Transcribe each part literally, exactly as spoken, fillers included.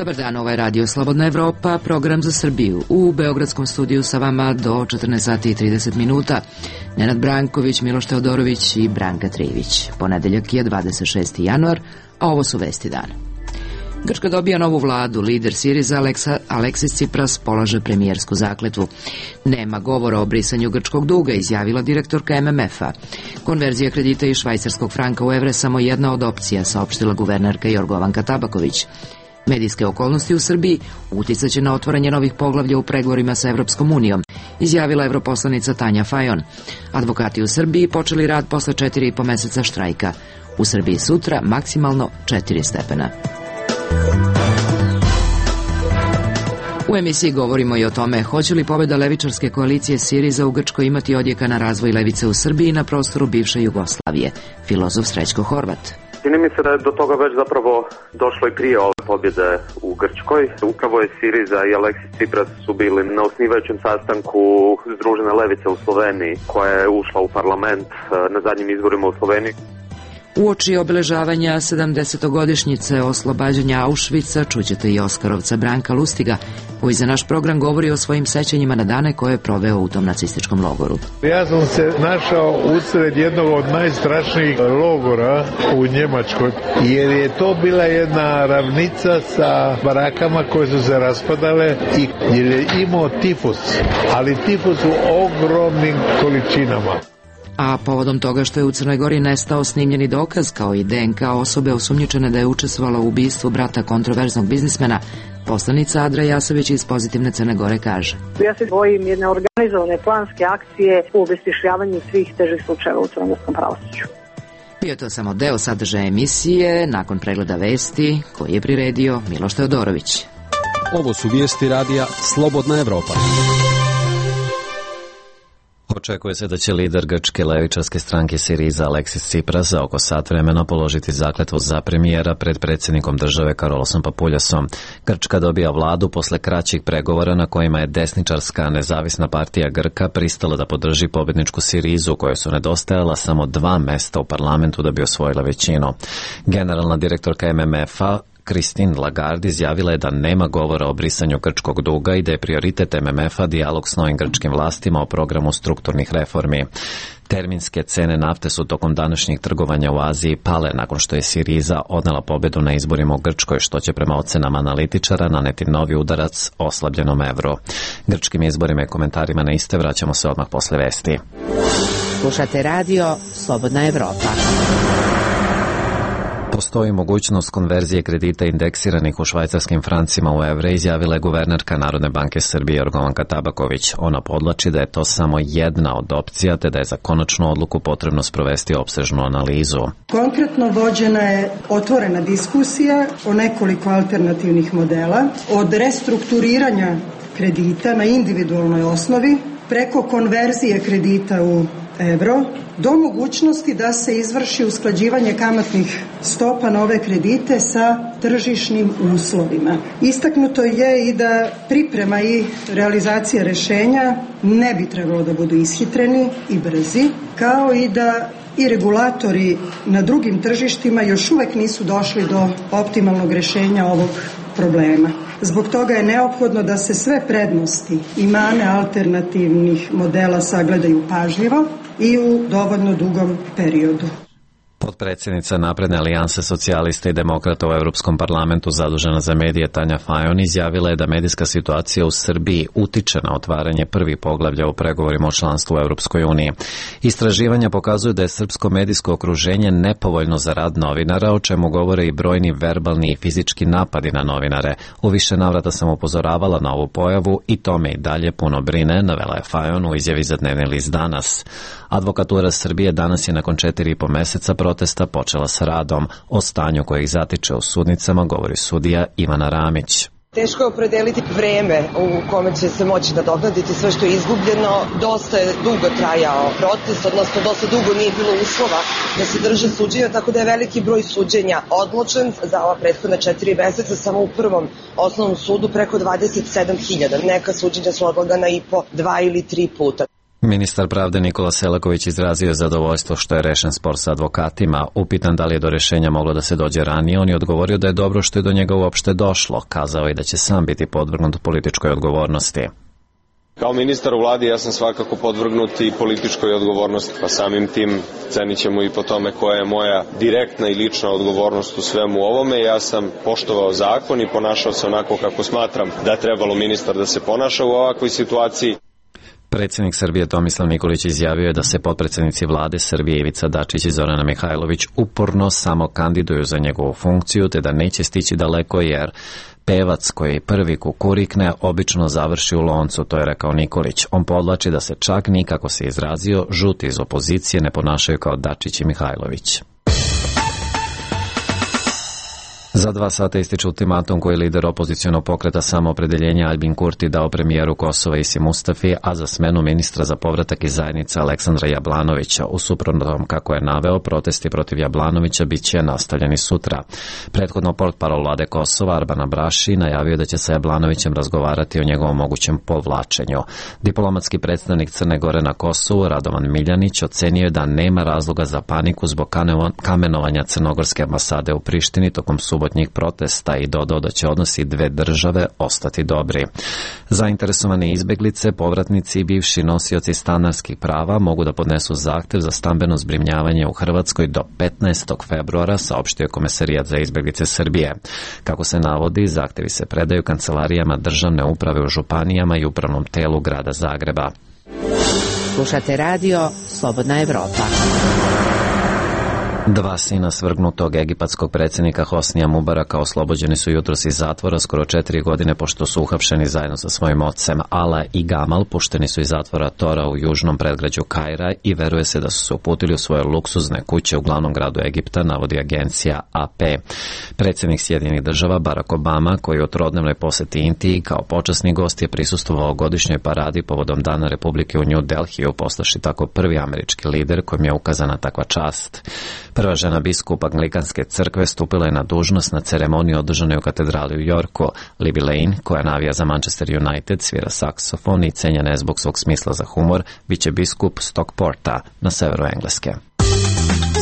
Dobar dan, ovo je Radio Slobodna Evropa, program za Srbiju. U Beogradskom studiju sa vama do četrnaest sati i trideset minuta. Nenad Branković, Miloš Teodorović i Branka Trivić. Ponedeljak je dvadeset šesti januar, a ovo su vesti dana. Grčka dobija novu vladu, lider Siriza Aleksa, Aleksis Tsipras polaže premijersku zakletvu. Nema govora o brisanju grčkog duga, izjavila direktorka M M F-a. Konverzija kredita iz švajcarskog franka u evre samo jedna od opcija, saopštila guvernerka Jorgovanka Tabaković. Medijske okolnosti u Srbiji uticaće na otvaranje novih poglavlja u pregovorima sa Evropskom unijom, izjavila evroposlanica Tanja Fajon. Advokati u Srbiji počeli rad posle četiri i po meseca štrajka. U Srbiji sutra maksimalno četiri stepena. U emisiji govorimo i o tome hoće li pobjeda levičarske koalicije Siriza u Grčkoj imati odjeka na razvoj levice u Srbiji na prostoru bivše Jugoslavije. Filozof Srećko Horvat. Čini mi se da je do toga već zapravo došlo i prije ove pobjede u Grčkoj. Upravo je Siriza i Aleksis Tsipras su bili na osnivajućem sastanku Združene levice u Sloveniji, koja je ušla u parlament na zadnjim izborima u Sloveniji. Uoči obeležavanja sedamdesetogodišnjice oslobađanja Auschwitza čućete i Oskarovca Branka Lustiga, koji za naš program govori o svojim sećanjima na dane koje je proveo u tom nacističkom logoru. Ja sam se našao usred jednog od najstrašnijih logora u Njemačkoj, jer je to bila jedna ravnica sa barakama koje su se raspadale i jer je imao tifus, ali tifus u ogromnim količinama. A povodom toga što je u Crnoj Gori nestao snimljeni dokaz kao i D N K osobe osumnjičene da je učestvovala u ubistvu brata kontroverznog biznismena, poslanica Adra Jasović iz Pozitivne Crne Gore kaže: Ja se bojim jedne organizovane planske akcije u obesmišljavanju svih težih slučajeva u crnogorskom pravosuđu. Bio to samo deo sadržaja emisije, nakon pregleda vesti koji je priredio Miloš Teodorović. Ovo su vijesti radija Slobodna Evropa. Očekuje se da će lider grčke levičarske stranke Siriza Aleksis Tsipras za oko sat vremena položiti zakletvu za premijera pred predsjednikom države Karolosom Papuljasom. Grčka dobija vladu posle kraćih pregovora na kojima je desničarska nezavisna partija Grka pristala da podrži pobjedničku Sirizu, kojoj su nedostajala samo dva mesta u parlamentu da bi osvojila većinu. Generalna direktorka M M F-a Christine Lagarde izjavila je da nema govora o brisanju grčkog duga i da je prioritet M M F-a dijalog s novim grčkim vlastima o programu strukturnih reformi. Terminske cene nafte su tokom današnjih trgovanja u Aziji pale nakon što je Siriza odnela pobedu na izborima u Grčkoj, što će prema ocenama analitičara naneti novi udarac oslabljenom evru. Grčkim izborima i komentarima na iste vraćamo se odmah posle vesti. Slušate radio Slobodna Evropa. Postoji mogućnost konverzije kredita indeksiranih u švajcarskim francima u evre, izjavila je guvernerka Narodne banke Srbije Jorgovanka Tabaković. Ona podlači da je to samo jedna od opcija, te da je za konačnu odluku potrebno sprovesti opsežnu analizu. Konkretno vođena je otvorena diskusija o nekoliko alternativnih modela, od restrukturiranja kredita na individualnoj osnovi, preko konverzije kredita u evro, do mogućnosti da se izvrši usklađivanje kamatnih stopa na ove kredite sa tržišnim uslovima. Istaknuto je i da priprema i realizacija rešenja ne bi trebalo da budu ishitreni i brzi, kao i da i regulatori na drugim tržištima još uvek nisu došli do optimalnog rešenja ovog problema. Zbog toga je neophodno da se sve prednosti i mane alternativnih modela sagledaju pažljivo i u dovoljno dugom periodu. Potpredsjednica Napredne alijanse socijalista i demokrata u Europskom parlamentu zadužena za medije Tanja Fajon izjavila je da medijska situacija u Srbiji utiče na otvaranje prvih poglavlja u pregovorima o članstvu u Europskoj uniji. Istraživanja pokazuju da je srpsko medijsko okruženje nepovoljno za rad novinara, o čemu govore i brojni verbalni i fizički napadi na novinare. U više navrata sam upozoravala na ovu pojavu i to me i dalje puno brine, navela je Fajon u izjavi za dnevni list Danas. Advokatura Srbije danas je nakon četiri i po meseca protesta počela sa radom. O stanju koje ih zatiče u sudnicama govori sudija Ivana Ramić. Teško je opredeliti vreme u kome će se moći nadoknaditi sve što je izgubljeno. Dosta je dugo trajao protest, odnosno dosta dugo nije bilo uslova da se drže suđenja, tako da je veliki broj suđenja odložen za ova prethodna četiri meseca. Samo u prvom osnovnom sudu preko dvadeset sedam hiljada. Neka suđenja su odlagana i po dva ili tri puta. Ministar pravde Nikola Selaković izrazio je zadovoljstvo što je rešen spor sa advokatima. Upitan da li je do rešenja moglo da se dođe ranije, on je odgovorio da je dobro što je do njega uopšte došlo. Kazao je da će sam biti podvrgnut političkoj odgovornosti. Kao ministar u vladi ja sam svakako podvrgnut i političkoj odgovornosti, pa samim tim cenit ćemo i po tome koja je moja direktna i lična odgovornost u svemu ovome. Ja sam poštovao zakon i ponašao se onako kako smatram da je trebalo ministar da se ponaša u ovakvoj situaciji. Predsjednik Srbije Tomislav Nikolić izjavio je da se potpredsjednici vlade Srbije Ivica Dačić i Zorana Mihajlović uporno samo kandiduju za njegovu funkciju, te da neće stići daleko jer pevac koji prvi kukurikne obično završi u loncu, to je rekao Nikolić. On podlači da se čak ni, kako se izrazio, žuti iz opozicije ne ponašaju kao Dačić i Mihajlović. Za dva sata ističe ultimatum koji lider opozicionog pokreta Samoopredeljenja Aljbin Kurti dao premijeru Kosova Isi Mustafi, a za smenu ministra za povratak iz zajednice Aleksandra Jablanovića. U suprotnom, kako je naveo, protesti protiv Jablanovića bit će nastavljeni sutra. Prethodno portparol vlade Kosova Arban Abraši najavio da će sa Jablanovićem razgovarati o njegovom mogućem povlačenju. Diplomatski predstavnik Crne Gore na Kosovu Radovan Miljanić ocenio je da nema razloga za paniku zbog kamenovanja crnogorske ambasade u Prištini tokom subotnjeg protesta i dodao da će odnosi dve države ostati dobri. Zainteresovani izbeglice, povratnici i bivši nosioci stanarskih prava mogu da podnesu zahtev za stambeno zbrinjavanje u Hrvatskoj do petnaestog februara, saopštio je Komesarijat za izbeglice Srbije. Kako se navodi, zahtevi se predaju kancelarijama državne uprave u županijama i upravnom telu grada Zagreba. Slušate radio Slobodna Evropa. Dva sina svrgnutog egipatskog predsjednika Hosnija Mubaraka oslobođeni su jutros iz zatvora skoro četiri godine pošto su uhapšeni zajedno sa svojim ocem. Ala i Gamal pušteni su iz zatvora Tora u južnom predgrađu Kaira i veruje se da su se uputili u svoje luksuzne kuće u glavnom gradu Egipta, navodi agencija A P. Predsjednik Sjedinjenih država Barack Obama, koji u trodnevnoj poseti Indiji kao počasni gost je prisustvovao godišnjoj paradi povodom Dana Republike u New Delhiju, postaši tako prvi američki lider kojem je ukazana takva čast. Prva žena biskup Anglikanske crkve stupila je na dužnost na ceremoniju održanoj u katedrali u Yorku. Libby Lane, koja navija za Manchester United, svira saksofon i cenjena je zbog svog smisla za humor, bit će biskup Stockporta na severu Engleske.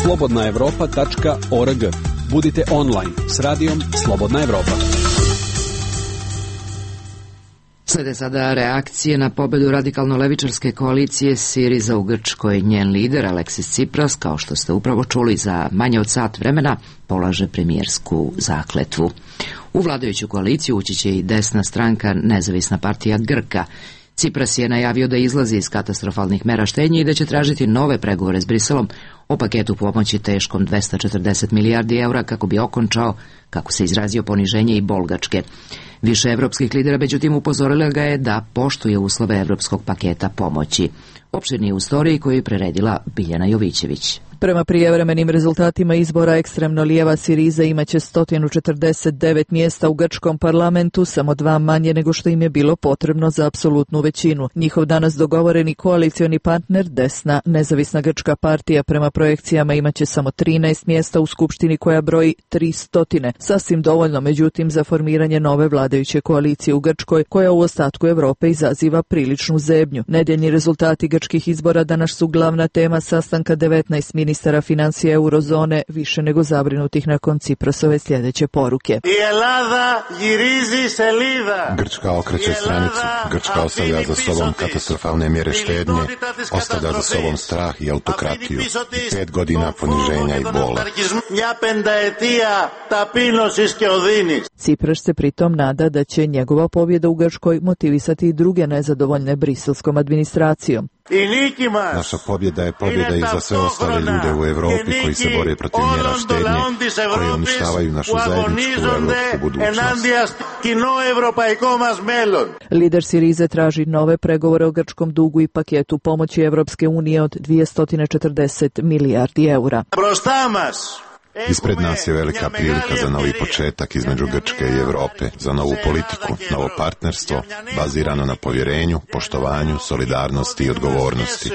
slobodna evropa tačka org. Budite online s radijom Slobodna Evropa. Slede sada reakcije na pobedu radikalno-levičarske koalicije Siriza u Grčkoj. Njen lider Aleksis Tsipras, kao što ste upravo čuli, za manje od sat vremena polaže premijersku zakletvu. U vladajuću koaliciju ući će i desna stranka Nezavisna partija Grka. Tsipras je najavio da izlazi iz katastrofalnih mera štednje i da će tražiti nove pregovore s Briselom o paketu pomoći teškom dvesta četrdeset milijardi eura kako bi okončao, kako se izrazio, poniženje i bol Grčke. Više evropskih lidera međutim upozorila ga je da poštuje uslove evropskog paketa pomoći. Opširnije u storiji koju je preredila Biljana Jovićević. Prema prijevremenim rezultatima izbora ekstremno lijeva Siriza imaće sto četrdeset devet mjesta u grčkom parlamentu, samo dva manje nego što im je bilo potrebno za apsolutnu većinu. Njihov danas dogovoreni koalicioni partner, desna Nezavisna grčka partija, prema projekcijama imaće samo trinaest mjesta u skupštini koja broji tristo, sasvim dovoljno međutim za formiranje nove vladajuće koalicije u Grčkoj, koja u ostatku Europe izaziva priličnu zebnju. Nedjeljni rezultati grčkih izbora danas su glavna tema sastanka devetnaest ministara financija eurozone, više nego zabrinutih nakon Tsiprasove sljedeće poruke. Grčka okreće stranicu, Grčka ostavlja za sobom katastrofalne mjere štednje, ostavlja za sobom strah i autokratiju, i pet godina poniženja i bola. Tsipras se pritom nada da će njegova pobjeda u Grčkoj motivisati i druge nezadovoljne briselskom administracijom. Naša pobjeda je pobjeda i za sve ostale ljude u Europi koji se bore protiv mjera štednje, koje uništavaju našu zajedničku evropsku budućnost. Lider Sirize traži nove pregovore o grčkom dugu i paketu pomoći Evropske unije od dvesta četrdeset milijardi eura. Ispred nas je velika prilika za novi početak između Grčke i Evrope, za novu politiku, novo partnerstvo, bazirano na povjerenju, poštovanju, solidarnosti i odgovornosti.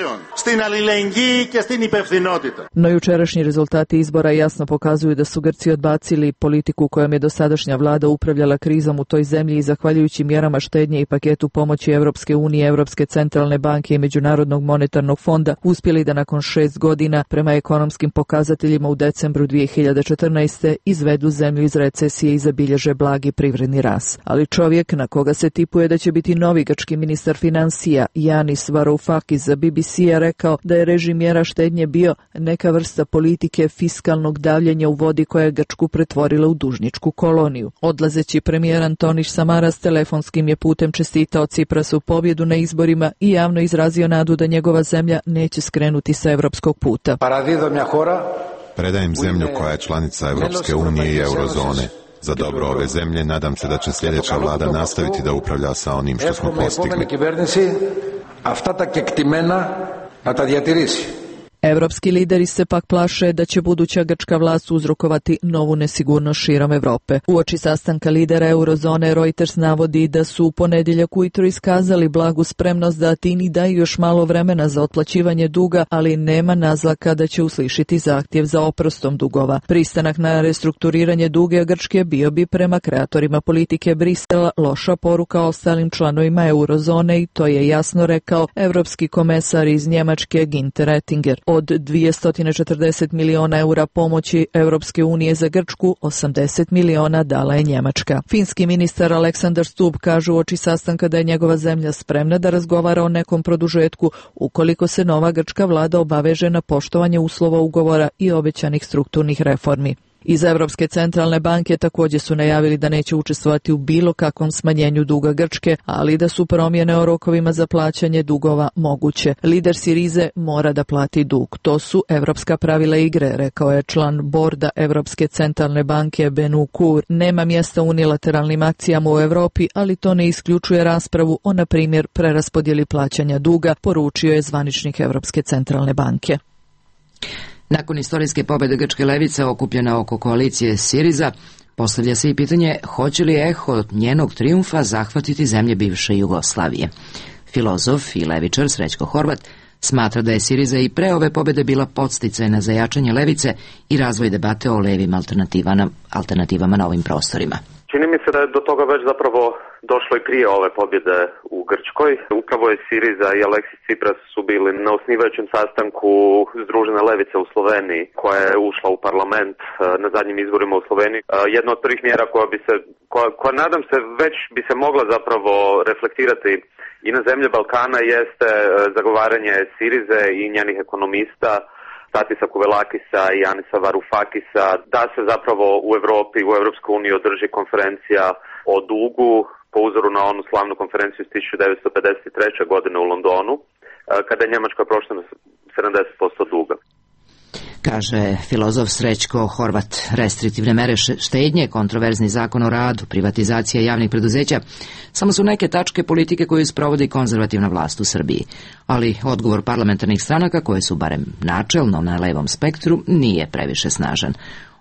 No jučerašnji rezultati izbora jasno pokazuju da su Grci odbacili politiku kojom je dosadašnja vlada upravljala krizom u toj zemlji i zahvaljujući mjerama štednje i paketu pomoći Evropske unije, Evropske centralne banke i Međunarodnog monetarnog fonda uspjeli da nakon šest godina prema ekonomskim pokazateljima u decembru dvije hiljade četrnaeste. izvedu zemlju iz recesije i zabilježe blagi privredni rast. Ali čovjek na koga se tipuje da će biti novi grčki ministar financija, Yanis Varoufakis, za B B C je rekao da je režim mjera štednje bio neka vrsta politike fiskalnog davljenja u vodi koja je Grčku pretvorila u dužničku koloniju. Odlazeći premijer Antonis Samaras telefonskim je putem čestitao Ciprasu pobjedu na izborima i javno izrazio nadu da njegova zemlja neće skrenuti sa evropskog puta. Predajem zemlju koja je članica Evropske unije i eurozone. Za dobro ove zemlje nadam se da će sljedeća vlada nastaviti da upravlja sa onim što smo postigli. Evropski lideri se pak plaše da će buduća grčka vlast uzrokovati novu nesigurnost širom Evrope. Uoči sastanka lidera eurozone Reuters navodi da su u ponedjeljak ujutro iskazali blagu spremnost da Atini daju još malo vremena za otplaćivanje duga, ali nema naznaka da će uslišiti zahtjev za oprostom dugova. Pristanak na restrukturiranje duge Grčke bio bi prema kreatorima politike Brisela loša poruka ostalim članovima eurozone i to je jasno rekao evropski komesar iz Njemačke Günther Oettinger. Od dvjesto četrdeset miliona eura pomoći Evropske unije za Grčku, osamdeset miliona dala je Njemačka. Finski ministar Aleksandar Stubb kaže uoči sastanka da je njegova zemlja spremna da razgovara o nekom produžetku ukoliko se nova grčka vlada obaveže na poštovanje uslova ugovora i obećanih strukturnih reformi. Iz Evropske centralne banke također su najavili da neće učestvovati u bilo kakvom smanjenju duga Grčke, ali da su promjene o rokovima za plaćanje dugova moguće. Lider Sirize mora da plati dug. To su evropska pravila igre, rekao je član borda Evropske centralne banke Benu Kur. Nema mjesta unilateralnim akcijama u Europi, ali to ne isključuje raspravu o, na primjer, preraspodjeli plaćanja duga, poručio je zvaničnik Evropske centralne banke. Nakon istorijske pobjede grčke levice okupljena oko koalicije Siriza, postavlja se i pitanje hoće li eho njenog trijumfa zahvatiti zemlje bivše Jugoslavije. Filozof i levičar Srećko Horvat smatra da je Siriza i pre ove pobjede bila podsticajna za jačanje levice i razvoj debate o levim alternativama, alternativama na ovim prostorima. Čini mi se da je do toga već zapravo došlo i prije ove pobjede u Grčkoj. Upravo je Siriza i Aleksis Tsipras su bili na osnivajućem sastanku Združene levice u Sloveniji, koja je ušla u parlament na zadnjim izborima u Sloveniji. Jedna od prvih mjera koja bi se, koja, koja nadam se već bi se mogla zapravo reflektirati i na zemlje Balkana jeste zagovaranje Sirize i njenih ekonomista, Tatisa Kuvelakisa i Janisa Varoufakisa, da se zapravo u Europi, u Europskoj uniji održi konferencija o dugu po uzoru na onu slavnu konferenciju iz tisuću devetsto pedeset treće. godine u Londonu, kada je Njemačka prošla na sedamdeset posto duga. Kaže filozof Srećko Horvat. Restriktivne mere štednje, kontroverzni zakon o radu, privatizacija javnih preduzeća samo su neke tačke politike koju sprovodi konzervativna vlast u Srbiji. Ali odgovor parlamentarnih stranaka, koje su barem načelno na levom spektru, nije previše snažan.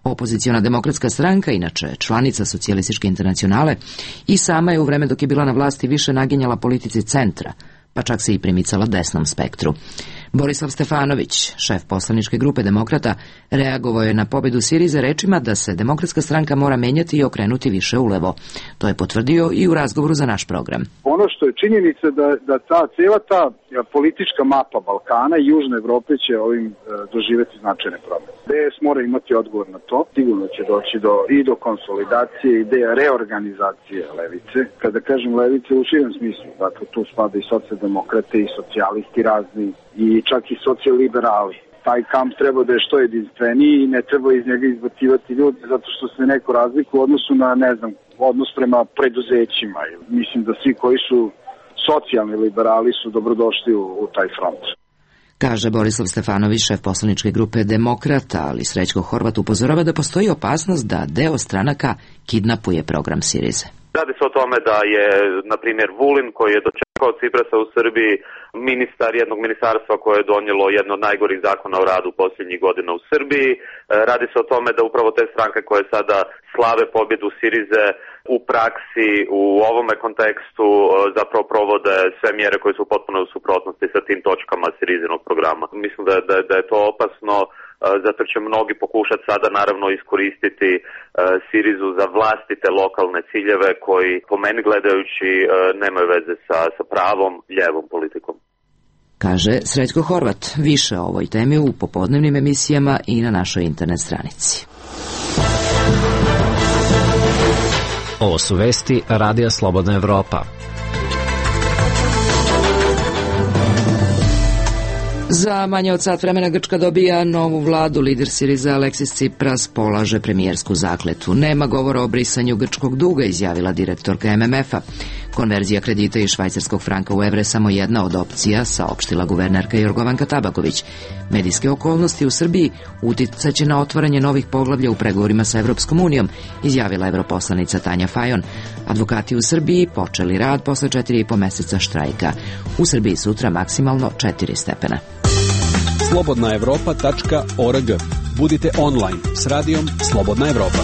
Opoziciona demokratska stranka, inače članica Socijalističke internacionale, i sama je u vreme dok je bila na vlasti više naginjala politici centra, pa čak se i primicala desnom spektru. Borislav Stefanović, šef poslaničke grupe Demokrata, reagovao je na pobjedu Sirize rečima da se Demokratska stranka mora menjati i okrenuti više ulevo. To je potvrdio i u razgovoru za naš program. Ono što je činjenica da, da ta cijela ta politička mapa Balkana i Južne Evrope će ovim e, doživjeti značajne promjene. D S mora imati odgovor na to. Sigurno će doći do, i do konsolidacije, ideja reorganizacije levice. Kada kažem levice u širem smislu, dakle tu spada i socijaldemokrate i socijalisti razni i čak i socijaliberali. Taj kamp treba da je što jedinstveniji i ne treba iz njega izbacivati ljudi zato što se neko razlikuje u odnosu na, ne znam, odnos prema preduzećima. Mislim da svi koji su socijalni liberali su dobrodošli u, u taj front. Kaže Borislav Stefanović, šef poslaničke grupe Demokrata, ali Srećko Horvat upozorava da postoji opasnost da deo stranaka kidnapuje program Sirize. Radi se o tome da je, na primjer, Vulin, koji je dočekao Ciprasa u Srbiji, ministar jednog ministarstva koje je donijelo jedno od najgorih zakona o radu posljednjih godina u Srbiji. Radi se o tome da upravo te stranke koje sada slave pobjedu Sirize u praksi u ovome kontekstu zapravo provode sve mjere koje su potpuno u suprotnosti sa tim točkama Sirizinog programa. Mislim da, da, da je to opasno, zato će mnogi pokušati sada naravno iskoristiti Sirizu za vlastite lokalne ciljeve koji po meni gledajući nemaju veze sa, sa pravom ljevom politikom. Kaže Srećko Horvat. Više o ovoj temi u popodnevnim emisijama i na našoj internet stranici. Ovo su vesti Radija Slobodna Evropa. Za manje od sat vremena Grčka dobija novu vladu. Lider Siriza Aleksis Tsipras polaže premijersku zakletvu. Nema govora o brisanju grčkog duga, izjavila direktorka M M F-a. Konverzija kredita iz švajcarskog franka u evre samo jedna od opcija, saopštila guvernerka Jorgovanka Tabaković. Medijske okolnosti u Srbiji uticaće na otvaranje novih poglavlja u pregovorima sa Evropskom unijom, izjavila evroposlanica Tanja Fajon. Advokati u Srbiji počeli rad posle četiri i po meseca štrajka. U Srbiji sutra maksimalno četiri stepena. slobodna evropa tačka org. Budite online s radijom Slobodna Evropa.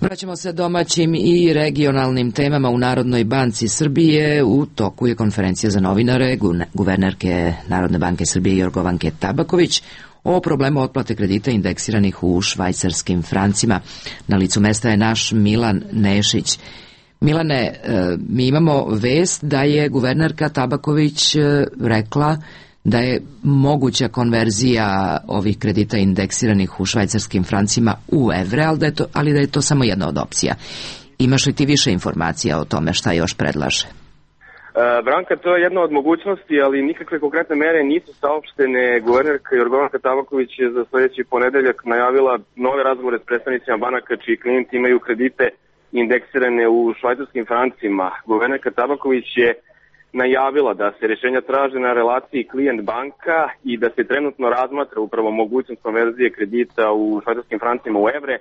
Vraćamo se domaćim i regionalnim temama. U Narodnoj banci Srbije u toku je konferencija za novinare guvernerke Narodne banke Srbije Jorgovanke Tabaković o problemu otplate kredita indeksiranih u švajcarskim francima. Na licu mesta je naš Milan Nešić. Milane, mi imamo vest da je guvernerka Tabaković rekla da je moguća konverzija ovih kredita indeksiranih u švajcarskim francima u evre, ali da je to, ali da je to samo jedna od opcija. Imaš li ti više informacija o tome šta još predlaže? E, Branka, to je jedna od mogućnosti, ali nikakve konkretne mere nisu saopštene. Guvernerka Jorgovanka Tabaković je za sljedeći ponedeljak najavila nove razgovore s predstavnicima banaka čiji klijenti imaju kredite indeksirane u švajcarskim francima. Guvernerka Tabaković je najavila da se rješenja traže na relaciji klijent banka i da se trenutno razmatra upravo mogućnost konverzije kredita u švajcarskim francima u evre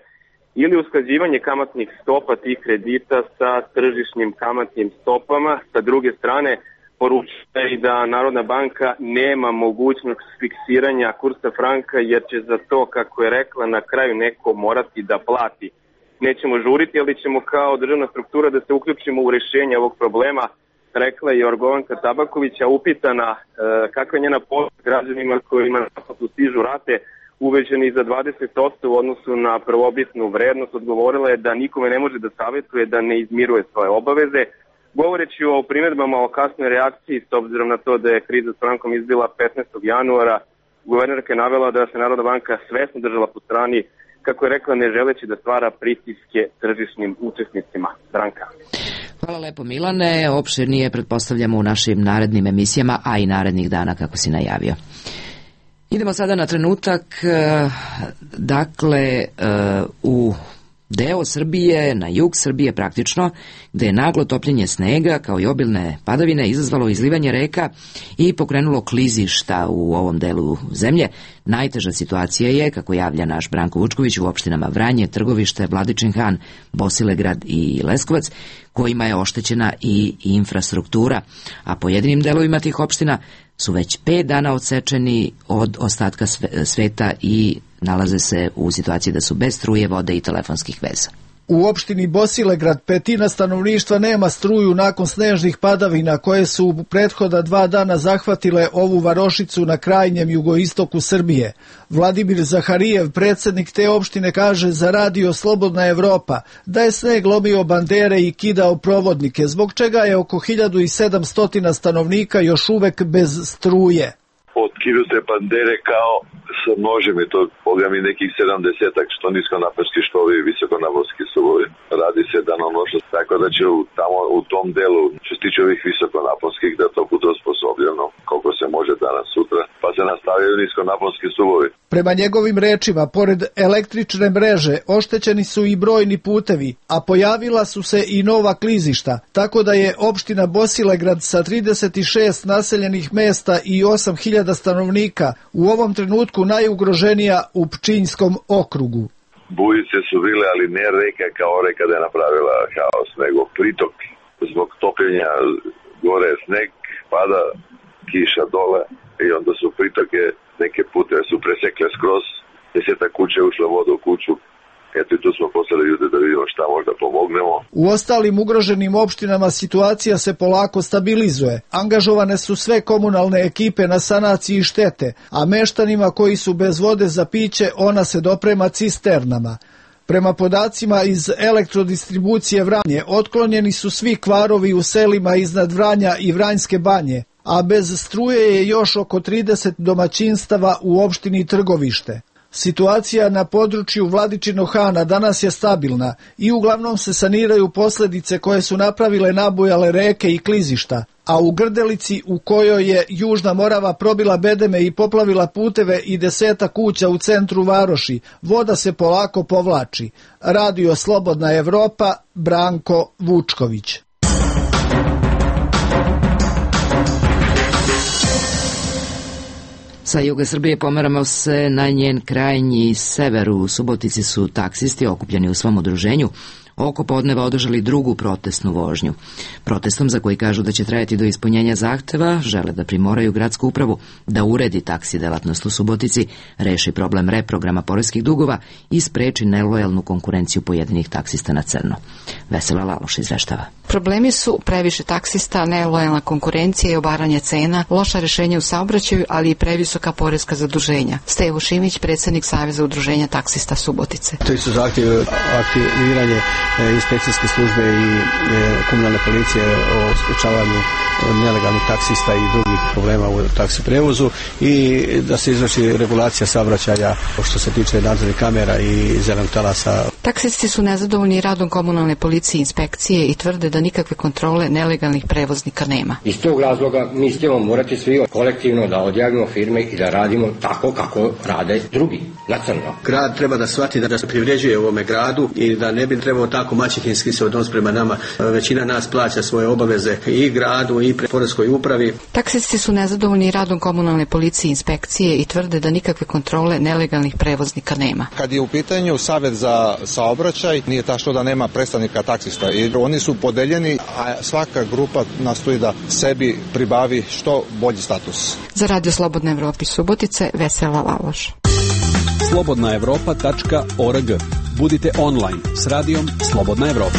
ili usklađivanje kamatnih stopa tih kredita sa tržišnim kamatnim stopama. Sa druge strane, poručuje i da Narodna banka nema mogućnost fiksiranja kursa franka jer će za to, kako je rekla, na kraju neko morati da plati. Nećemo žuriti, ali ćemo kao državna struktura da se uključimo u rješenje ovog problema, rekla je Jorgovanka Tabaković, a upitana e, kakva je njena pomoć građanima kojima naplatu stižu rate uvećani za dvadeset posto u odnosu na prvobitnu vrednost, odgovorila je da nikome ne može da savjetuje da ne izmiruje svoje obaveze. Govoreći o primjedbama o kasnoj reakciji, s obzirom na to da je kriza s frankom izbila petnaestog januara, guvernerka je navela da se Narodna banka svesno držala po strani, kako je rekla, ne želeći da stvara pritiske tržišnim učesnicima. Branka. Hvala lepo Milane, opširnije pretpostavljamo u našim narednim emisijama, a i narednih dana kako si najavio. Idemo sada na trenutak, dakle u deo Srbije, na jug Srbije praktično, gde je naglo topljenje snega kao i obilne padavine izazvalo izlivanje reka i pokrenulo klizišta u ovom delu zemlje. Najteža situacija je, kako javlja naš Branko Vučković, u opštinama Vranje, Trgovište, Vladičin Han, Bosilegrad i Leskovac, kojima je oštećena i infrastruktura, a pojedinim delovima tih opština su već pet dana odsečeni od ostatka sveta i nalaze se u situaciji da su bez struje, vode i telefonskih veza. U opštini Bosilegrad petina stanovništva nema struju nakon snežnih padavina koje su u prethoda dva dana zahvatile ovu varošicu na krajnjem jugoistoku Srbije. Vladimir Zaharijev, predsjednik te opštine, kaže za radio Slobodna Evropa da je sneg lomio bandere i kidao provodnike, zbog čega je oko hiljadu sedamsto stanovnika još uvek bez struje. Otkidaju se bandere kao sa nožem i to boga mi nekih sedamdesetak što niskonaponski što ovi visokonaponski suvovi. Radi se danonoćno, tako da će u, tamo u tom delu što se tiče ovih visokonaponskih da to bude osposobljeno koliko se može danas sutra, pa se nastavljaju niskonaponski suvovi. Prema njegovim rečima, pored električne mreže oštećeni su i brojni putevi, a pojavila su se i nova klizišta, tako da je opština Bosilegrad sa trideset šest naseljenih mesta i osam hiljada stanovnika u ovom trenutku najugroženija u Pčinjskom okrugu. Bujice su bile, ali ne reka kao reka da je napravila haos, nego pritok zbog topljenja gore je sneg, pada kiša dole i onda su pritoke neke puteve su presekle skroz, desetak kuće je ušla voda u kuću. Eto i tu smo poslali ljude da vidimo šta možda pomognemo. U ostalim ugroženim opštinama situacija se polako stabilizuje. Angažovane su sve komunalne ekipe na sanaciji štete, a meštanima koji su bez vode za piće ona se doprema cisternama. Prema podacima iz elektrodistribucije Vranje, otklonjeni su svi kvarovi u selima iznad Vranja i Vranjske banje, a bez struje je još oko trideset domaćinstava u opštini Trgovište. Situacija na području Vladičinog Hana danas je stabilna i uglavnom se saniraju posljedice koje su napravile nabujale reke i klizišta, a u Grdelici, u kojoj je Južna Morava probila bedeme i poplavila puteve i deseta kuća u centru varoši, voda se polako povlači. Radio Slobodna Evropa, Branko Vučković. Sa juga Srbije pomeramo se na njen krajnji sever. U Subotici su taksisti okupljeni u svom udruženju oko podneva održali drugu protestnu vožnju. Protestom, za koji kažu da će trajati do ispunjenja zahteva, žele da primoraju gradsku upravu da uredi taksi delatnost u Subotici, reši problem reprograma poreskih dugova i spreči nelojalnu konkurenciju pojedinih taksista na crno. Vesela Laloš izveštava. Problemi su previše taksista, nelojalna konkurencija i obaranje cena, loša rešenja u saobraćaju, ali i previsoka poreska zaduženja. Stevo Šimić, predsjednik Saveza udruženja taksista Subotice. To su zahtjevi aktiviranje inspekcijske službe i komunalne policije o sprečavanju nelegalnih taksista i drugih problema u taksi prevozu i da se izvrši regulacija saobraćaja što se tiče nadzornih kamera i zelenog talasa. Taksisti su nezadovoljni radom komunalne policije i inspekcije i tvrde da nikakve kontrole nelegalnih prevoznika nema. Iz tog razloga mi ćemo morati svi kolektivno da odjavimo firme i da radimo tako kako rade drugi, na crno. Grad treba da shvati da se privređuje ovome gradu i da ne bi trebao tako maćehinski se odnos prema nama. Većina nas plaća svoje obaveze i gradu i pre poreskoj upravi. Taksisti su nezadovoljni radom komunalne policije i inspekcije i tvrde da nikakve kontrole nelegalnih prevoznika nema. Kad je u pitanju Savet za saobraćaj, nije tačno da nema predstavnika taksista i oni su podeljeni, a svaka grupa nastoji da sebi pribavi što bolji status. Za Radio Slobodna Evropa iz Subotice, Vesela Laloš. slobodna evropa tačka org. Budite online s radijom Slobodna Evropa.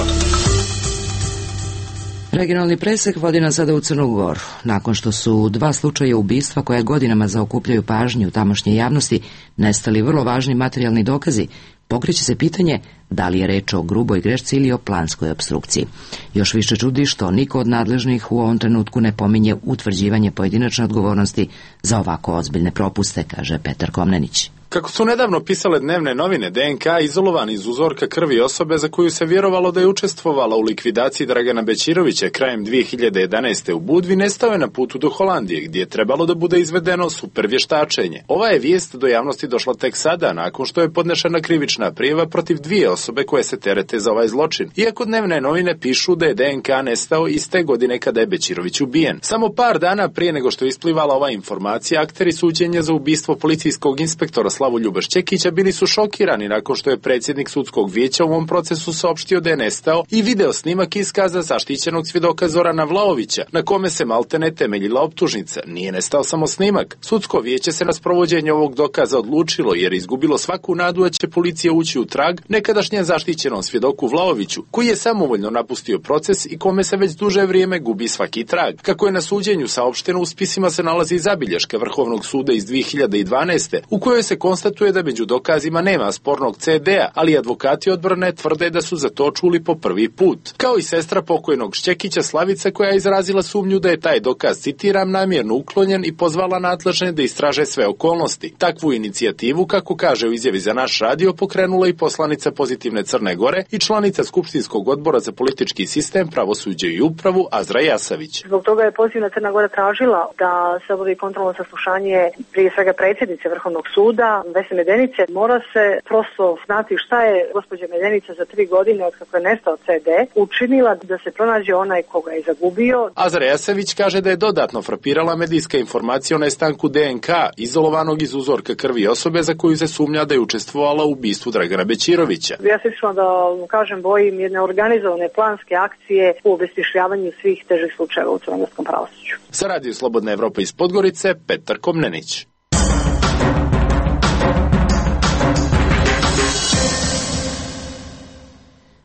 Regionalni presek vodi nas sada u Crnu Goru. Nakon što su dva slučaja ubistva koja godinama zaokupljaju pažnju tamošnje javnosti nestali vrlo važni materijalni dokazi, pokreće se pitanje da li je reč o gruboj grešci ili o planskoj opstrukciji. Još više čudi što niko od nadležnih u ovom trenutku ne pominje utvrđivanje pojedinačne odgovornosti za ovako ozbiljne propuste, kaže Petar Komnenić. Kako su nedavno pisale dnevne novine, D N K izolovan iz uzorka krvi osobe za koju se vjerovalo da je učestvovala u likvidaciji Dragana Bećirovića krajem dvije hiljade jedanaeste. u Budvi, nestao je na putu do Holandije, gdje je trebalo da bude izvedeno super vještačenje. Ova je vijest do javnosti došla tek sada, nakon što je podnešena krivična prijava protiv dvije osobe koje se terete za ovaj zločin. Iako dnevne novine pišu da je D N K nestao iste godine kada je Bećirović ubijen. Samo par dana prije nego što je isplivala ova informacija, akteri suđenja za ubistvo policijskog inspektora Slavoljuba Šćekića bili su šokirani nakon što je predsjednik sudskog vijeća u ovom procesu saopštio da je nestao i video snimak iskaza zaštićenog svjedoka Zorana Vlaovića, na kome se maltene temeljila optužnica. Nije nestao samo snimak. Sudsko vijeće se na sprovođenje ovog dokaza odlučilo jer je izgubilo svaku nadu da će policija ući u trag nekadašnjem zaštićenom svjedoku Vlaoviću, koji je samovoljno napustio proces i kome se već duže vrijeme gubi svaki trag. Kako je na suđenju saopšteno, u spisima se nalazi zabilješka Vrhovnog suda iz dvije hiljade dvanaeste. u kojoj se konstatuje da među dokazima nema spornog C D-a, ali advokati odbrane tvrde da su za to čuli po prvi put. Kao i sestra pokojnog Šćekića Slavica, koja je izrazila sumnju da je taj dokaz, citiram, namjerno uklonjen i pozvala nadležne da istraže sve okolnosti. Takvu inicijativu, kako kaže u izjavi za naš radio, pokrenula i poslanica Pozitivne Crne Gore i članica Skupštinskog odbora za politički sistem, pravosuđe i upravu Azra Jasavić. Zbog toga je Pozitivna Crna Gora tražila da se obavi kontrolno saslušanje prije svega predsjednice Vrhovnog suda Vesne Medenice, mora se prosto znati šta je gospođa Medenica za tri godine od kako je nestao ce de učinila da se pronađe onaj koga je zagubio. Azra Jasević kaže da je dodatno frapirala medijska informacija o nestanku de en ka izolovanog iz uzorka krvi osobe za koju se sumnja da je učestvovala u ubistvu Dragana Bećirovića. Ja se išla da kažem bojim jedne organizovane planske akcije u obesmišljavanju svih težih slučajeva u crnogorskom pravosuđu. Za Radio Slobodna Evropa iz Podgorice, Petar Komnenić.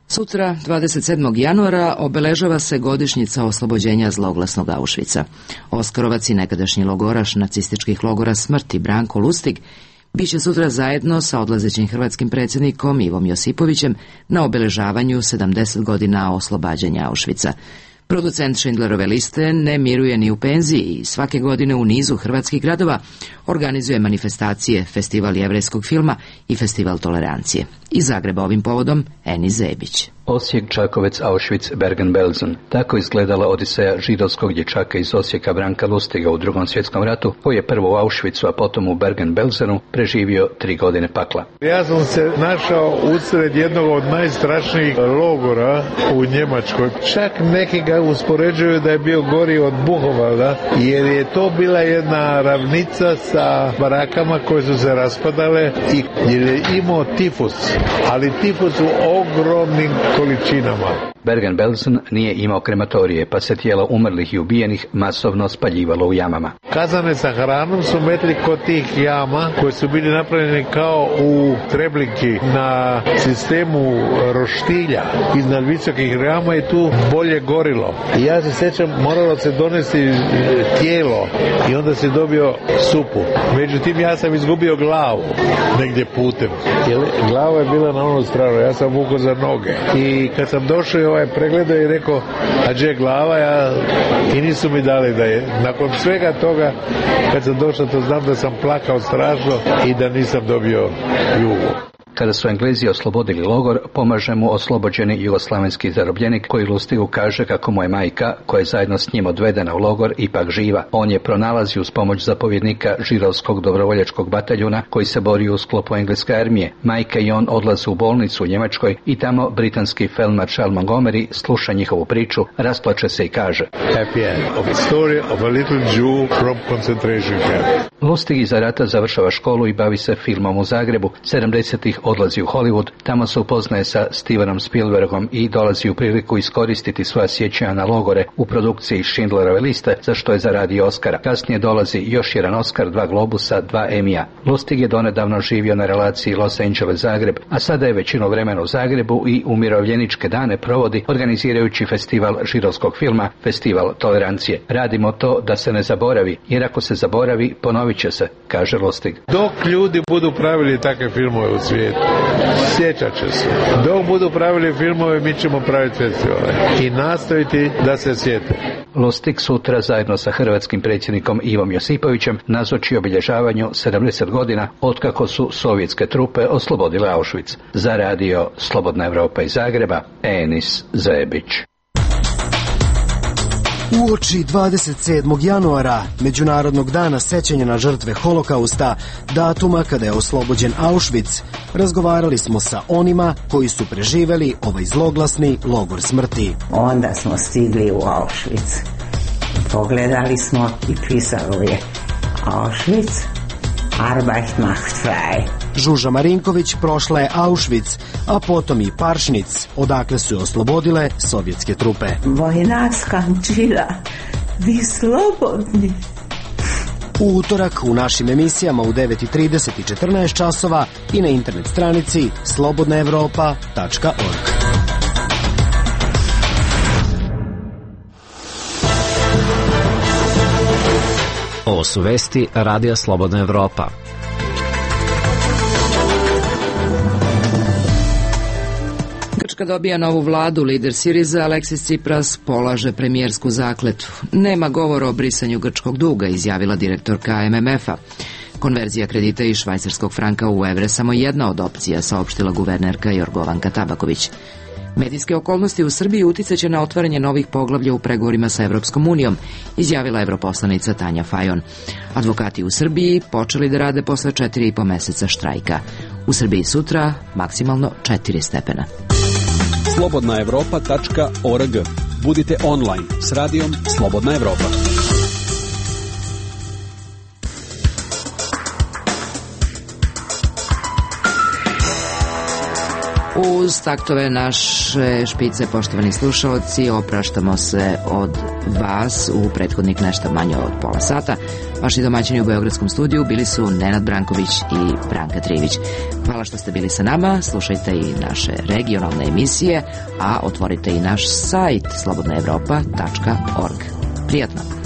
Sutra, dvadeset sedmog januara, obeležava se godišnjica oslobođenja zloglasnog Auschwitza. Oskarovac i nekadašnji logoraš nacističkih logora smrti Branko Lustig biće sutra zajedno sa odlazećim hrvatskim predsjednikom Ivom Josipovićem na obeležavanju sedamdeset godina oslobađanja Auschwitza. Producent Schindlerove liste ne miruje ni u penziji i svake godine u nizu hrvatskih gradova organizuje manifestacije, festival jevrejskog filma i festival tolerancije. Iz Zagreba ovim povodom Enis Zebić. Osijek, Čakovec, Auschwitz, Bergen-Belsen. Tako izgledala odiseja židovskog dječaka iz Osijeka Branka Lustiga u Drugom svjetskom ratu, koji je prvo u Auschwitzu, a potom u Bergen-Belsenu preživio tri godine pakla. Ja sam se našao usred jednog od najstrašnijih logora u Njemačkoj. Čak neki ga uspoređuju da je bio gori od Buchenwalda, jer je to bila jedna ravnica sa barakama koje su se raspadale i jer je imao tifus, ali tifus u ogromnim količinama. Bergen-Belsen nije imao krematorije, pa se tijela umrlih i ubijenih masovno spaljivalo u jamama. Kazane sa hranom su metli kod tih jama koje su bili napravljene kao u Treblinki na sistemu roštilja iznad visokih jama i tu bolje gorilo. I ja se sjećam, moralo se donesti tijelo i onda se dobio supu. Međutim, ja sam izgubio glavu negdje putem. Jer glava je bila na onu stranu, ja sam vukao za noge. I kad sam došao ovaj pregledao i rekao, a gdje glava, ja, i nisu mi dali da je. Nakon svega toga, kad sam došao, to znam da sam plakao strašno i da nisam dobio jugu. Kada su Englezi oslobodili logor, pomaže mu oslobođeni jugoslavenski zarobljenik koji Lustigu kaže kako mu je majka, koja je zajedno s njim odvedena u logor, ipak živa. On je pronalazi uz pomoć zapovjednika židovskog dobrovoljačkog bataljuna koji se bori u sklopu engleske armije. Majka i on odlaze u bolnicu u Njemačkoj i tamo britanski feldmaršal Montgomery sluša njihovu priču, rasplače se i kaže Happy end of the story of a little Jew from concentration camp. Lustig iza rata završava školu i bavi se filmom u Zagrebu. sedamdesetih odlazi u Hollywood, tamo se upoznaje sa Stevenom Spielbergom i dolazi u priliku iskoristiti svoja sjećanja na logore u produkciji Schindlerove liste, za što je zaradio Oscara. Kasnije dolazi još jedan Oscar, dva Globusa, dva Emija. Lustig je donedavno živio na relaciji Los Angeles-Zagreb, a sada je većinu vremena u Zagrebu i umirovljeničke dane provodi organizirajući festival židovskog filma, festival tolerancije. Radimo to da se ne zaboravi, jer ako se zaboravi, ponovit će se, kaže Lustig. Dok ljudi budu pravili takve filmove u svijetu, sjećat će se. Dok budu pravili filmove, mi ćemo praviti festivale i nastaviti da se sjete. Lustig sutra zajedno sa hrvatskim predsjednikom Ivom Josipovićem nazoči obilježavanju sedamdeset godina otkako su sovjetske trupe oslobodile Auschwitz. Za radio Slobodna Evropa iz Zagreba, Enis Zebić. Uoči dvadeset sedmog januara, Međunarodnog dana sećanja na žrtve Holokausta, datuma kada je oslobođen Auschwitz, razgovarali smo sa onima koji su preživeli ovaj zloglasni logor smrti. Onda smo stigli u Auschwitz. Pogledali smo i pisalo je Auschwitz, Arbeit macht frei. Žuža Marinković prošla je Auschwitz, a potom i Paršnic, odakle su je oslobodile sovjetske trupe. Vojnak skančila, vi slobodni. U utorak u našim emisijama u devet i trideset i četrnaest časova i na internet stranici slobodna evropa tačka org. Ovo su vesti Radija Slobodna Evropa. Grčka dobija novu vladu, lider Siriza Aleksis Tsipras polaže premijersku zakletvu. Nema govora o brisanju grčkog duga, izjavila direktorka em em ef-a. Konverzija kredita iz švajcarskog franka u evre samo jedna od opcija, saopštila guvernerka Jorgovanka Tabaković. Medijske okolnosti u Srbiji uticaće na otvaranje novih poglavlja u pregovorima sa Evropskom unijom, izjavila evroposlanica Tanja Fajon. Advokati u Srbiji počeli da rade posle četiri i po meseca štrajka. U Srbiji sutra maksimalno četiri stepena. slobodna evropa tačka org. Budite online s radijom Slobodna Evropa. Uz taktove naše špice, poštovani slušalci, opraštamo se od vas u prethodnik nešto manje od pola sata. Vaši domaćini u Beogradskom studiju bili su Nenad Branković i Branka Trivić. Hvala što ste bili sa nama, slušajte i naše regionalne emisije, a otvorite i naš sajt slobodna evropa tačka org. Prijatno!